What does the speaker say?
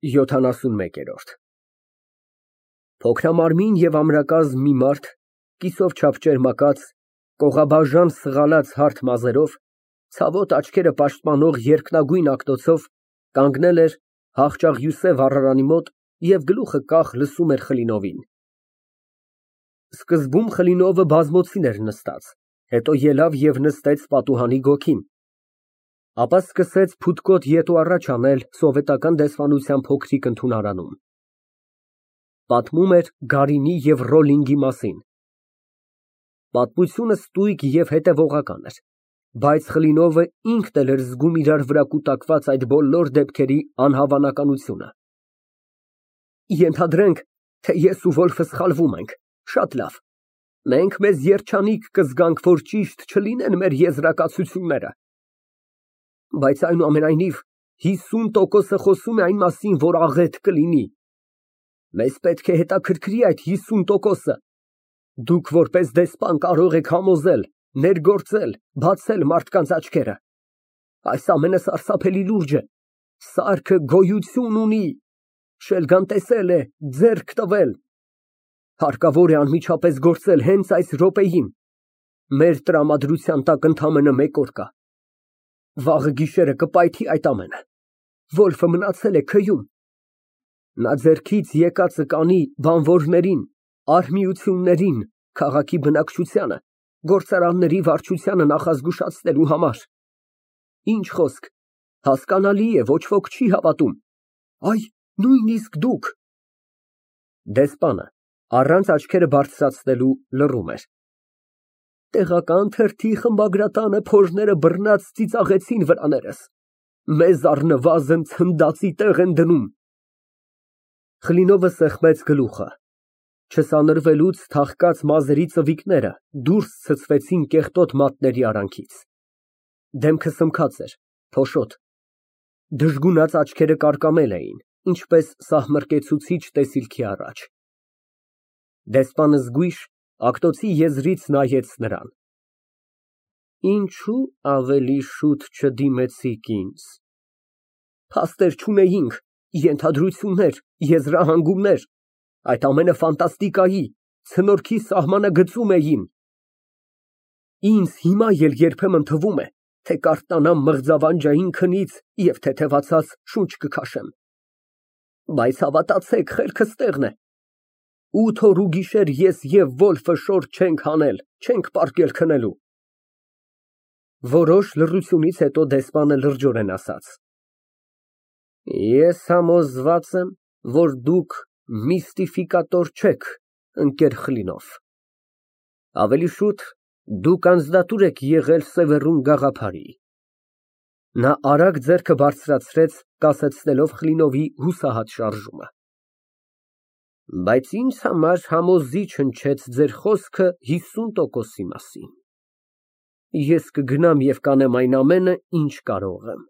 71 Փոքրամարմին և ամրակազմ մի մարդ, կիսով չափ ճերմակած, կողաբաժան սղալած հարթ մազերով, ցավոտ աչքերը պաշտպանող երկնագույն ակտոցով, կանգնել էր հաղճաղ վառարանի մոտ և գլուխը կախ լսում էր Խլինովին։ Սկզբում Խլինովը բազմոցին էր նստած, հետո ելավ և նստեց պատուհանի գոգին, ապա սկսեց փութկոտ ետ ու առաջ անել սովետական դեսպանության փոքրիկ ընդունարանում։ Պատմում էր Գարինի և Ռոլլինգի մասին։ Պատմությունը ստույգ և հետևողական էր, բայց Խլինովը ինքն էլ էր զգում իրար վրա կուտակված այդ բոլոր դեպքերի անհավանականությունը։ Ենթադրենք, թե ես ու Վոլֆը սխալվում ենք, շատ լավ, մենք մեզ երջանիկ կզգանք, որ ճիշտ չլինեն մեր եզրակացությունները, բայց այնուամենայնիվ 50%-ը խոսում է այն մասին, որ աղետ կլինի։ Մեզ պետք է հետաքրքրի այդ 50%-ը։ Դուք որպես դեսպան կարող եք համոզել, ներգործել, բացել մարդկանց աչքերը։ Այս ամենը սարսափելի լուրջ է։ Սարքը գոյություն ունի, շելգան տեսել է, ձեռք տվել։ Հարկավոր է անմիջապես գործել հենց այս րոպեին։ Մեր տրամադրության տակ ընդամենը 1 օր կա։ Վաղը գիշերը կպայթի այդ ամենը։ Վոլֆը մնացել է քյում։ Նա ձեռքից եկածը կանի բանվորներին, արհմիություններին, քաղաքի բնակչությանը, գործարանների վարչությանը նախազգուշացնելու համար։ Ինչ խոսք, հասկանալի է, ոչ ոք չի հավատում։ Այ, նույնիսկ դուք։ Դեսպանը, առանց աչքերը բարձրացնելու, լռում էր։ Տեղական թերթի խմբագրատանը փորները բռնած ծիծաղեցին վրաներս։ Մեզ առնվազն ցնդածի տեղ են դնում։ Խլինովը սեղմեց գլուխը։ Չսանրվելուց թաղկած մազերի ծվիկները դուրս ցցվեցին կեղտոտ մատների արանքից։ Դեմքը սմքած էր, փոշոտ։ Դժգունած աչքերը կարկամել էին, ինչպես սահմռկեցուցիչ տեսիլքի առաջ։ Դեսպանը զգույշ, ակտոցի եզրից նայեց նրան։ Ինչո՞ւ ավելի շուտ չդիմեցիք ինձ։ Փաստեր չունեինք, ենթադրություններ, եզրահանգումներ, այդ ամենը ֆանտաստիկայի, ցնորքի սահմանագծում էին։ Ինձ հիմա էլ երբեմն թվում է, թե կարթնանամ մղձավանջային քնից և թեթևացած շունչ կքաշեմ։ Բայց հավատացեք, խելքս տեղն է։ 8 օր ու գիշեր ես և Վոլֆը շորջ չենք հանել, չենք պառկել քնելու։ Որոշ լռությունից հետո դեսպանը լրջորեն ասաց. Ես համոզված եմ, որ դուք միստիֆիկատոր չեք, ընկեր Խլինով։ Ավելի շուտ դուք անձնատուր եք եղել Սևեռուն գաղափարի։ Նա արագ ձեռքը բարձրացրեց, կասեցնելով Խլինովի հուսահատ շարժումը։ Բայց ինձ համար համոզիչ հնչեց ձեր խոսքը 50%-ի մասին։ Ես կգնամ և կանեմ այն ամենը, ինչ կարող եմ։